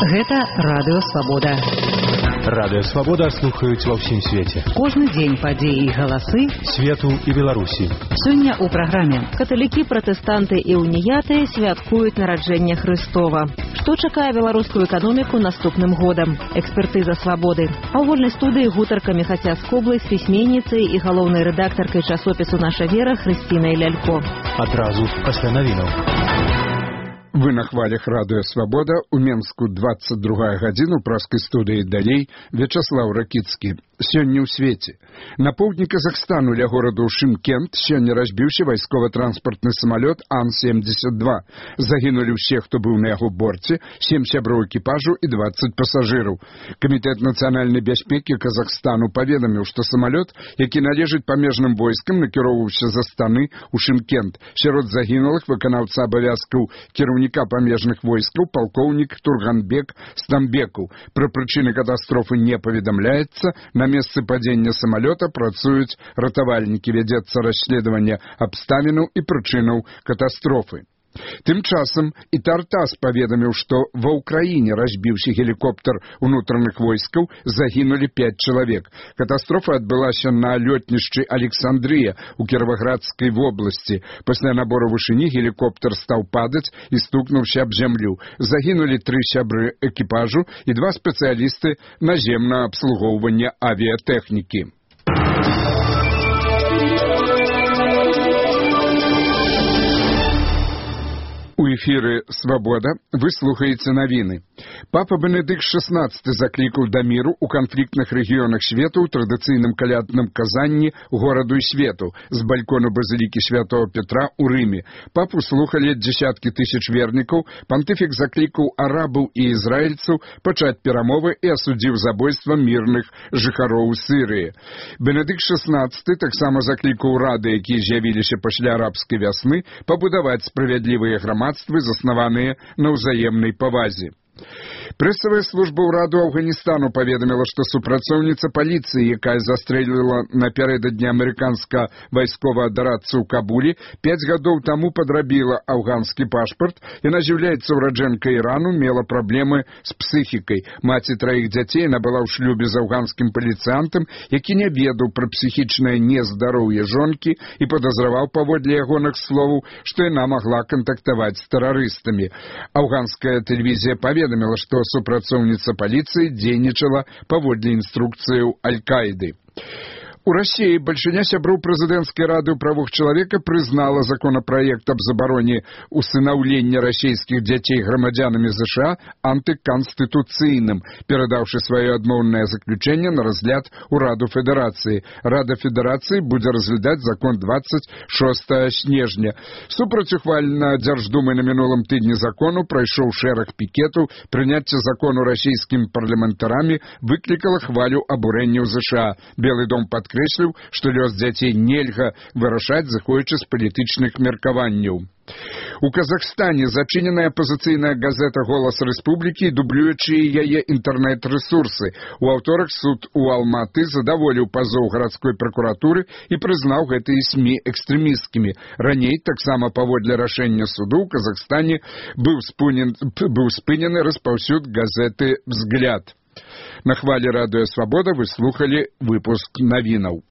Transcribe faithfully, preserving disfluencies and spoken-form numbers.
Гэта Радыё Свабода. Радыё Свабода слухаюць ва ўсім свеце. Кожны дзень падзеі і галасы свету і Беларусі. Сёння ў праграме каталікі, пратэстанты і уніяты святкуюць нараджэнне Хрыстова. Што чакае беларускую эканоміку наступным годам? Экспертыза Свабоды. А ў вольнай студыі гутарка Міхаця Скоблы з пісьменніцай і галоўнай рэдактаркай часопісу «Наша вера» Хрысцінай Лялько. Адразу пасля навінаў. Вы на хвалях Радыё Свабода, у Менску двадцать другая гадзіна, у праскай студыі далей Вячаслаў Ракіцкі. Сёння ў свеце. На поўдні Казахстану ля гораду Шымкент сёння разбіўся вайскова-транспартны самалёт Ан семьдесят два. Загінулі ўсе, хто быў на яго борце, сем сяброў экіпажу і двадцать пасажыраў. Камітэт нацыянальнай бяспекі Казахстану паведаміў, што самалёт, які належыць памежным войскам, накіроўваўся з Астаны ў Шымкент. Сярод загінулых выканаўца абавязкаў кіраўніка памежных войскаў палкоўнік Турганбек Стамбекаў. Пра прычыны катастрофы не паведамляецца. На месцы падзення самалёта працуюць ратавальнікі, вядзецца расследаванне абставінаў і прычынаў катастрофы. Тым часам і Тартас паведаміў, што ва ўкраіне разбіўся гелікоптер унутраных войскаў, загінулі пяць чалавек. Катастрофа адбылася на лётнішчы Александрыя ў Кіраваградскай вобласці. Пасля набору вышыні гелікоптер стаў падаць і стукнуўся аб зямлю. Загінулі тры сябры экіпажу і два спецыялісты наземнага абслугоўвання авіятэхнікі. У эфіры «Свабода» вы слухаеце навіны. Папа Бенедыкт шэснаццаты заклікаў да міру ў канфліктных рэгіёнах свету ў традыцыйным калядным казанні гораду і свету з балькону базілікі святого Петра ў Рыме. Папу слухалі дзесяткі тысяч вернікаў. Пантыфік заклікаў арабаў і ізраільцаў пачаць перамовы і асудзіў забойства мірных жыхароў Сірыі. Бенедыкт шэснаццаты таксама заклікаў рады, якія з'явіліся пасля арабскай вясны, пабудаваць справядлівыя грамадствы, заснаваныя на ўзаемнай павазе. Прэсавая служба ўраду Афганістану паведаміла, што супрацоўніца паліцыі, якая застрэліла напярэдадні амерыканскага вайсковага дарадцу ў Кабулі, пяць гадоў таму падрабіла афганскі пашпарт. Яна з'яўляецца ўраджэнкай Ірану, мела праблемы з псіхікай. Маці траіх дзяцей, яна была ў шлюбе з афганскім паліцыянтам, які не ведаў пра псіхічнае нездароўе жонкі і падазраваў паводле ягоных словаў, што яна магла кантактаваць з тэрарыстамі. Афганская тэлевізія паведаміла, што супрацоўніца паліцыі дзейнічала паводле інструкцыяў Аль-Каіды. У Расіі бальшыня сяброў прэзідэнцкай рады ў правах чалавека прызнала законапраект аб забароне усынаўлення расійскіх дзяцей грамадзянамі ЗША антыканстытуцыйным, перадаўшы сваё адмоўнае заключэнне на разгляд у Раду Федэрацыі. Рада Федэрацыі будзе разглядаць закон двадцать шостага снежня. Супраць ухвалена Дзярждумай на мінулым тыдні закону прайшоў шэраг пікетаў. Прыняцце закону расійскімі парламентарамі выклікала хвалю абурэння ў ЗША. Белы дом падкрэсліў, што лёс дзяцей нельга вырашаць, зыходзячы з палітычных меркаванняў. У Казахстане зачыненая апазіцыйная газета «Голас Рэспублікі» і дублюючыя яе інтэрнэт-рэсурсы. У аўторак суд у Алматы задаволіў пазоў гарадской пракуратуры і прызнаў гэтыя СМІ экстрэмісцкімі. Раней, таксама паводле рашэння суду, ў Казахстане быў спынен, быў спынены распаўсюд газеты «Взгляд». На хвале Радыё Свабода вы слухалі выпуск навінаў.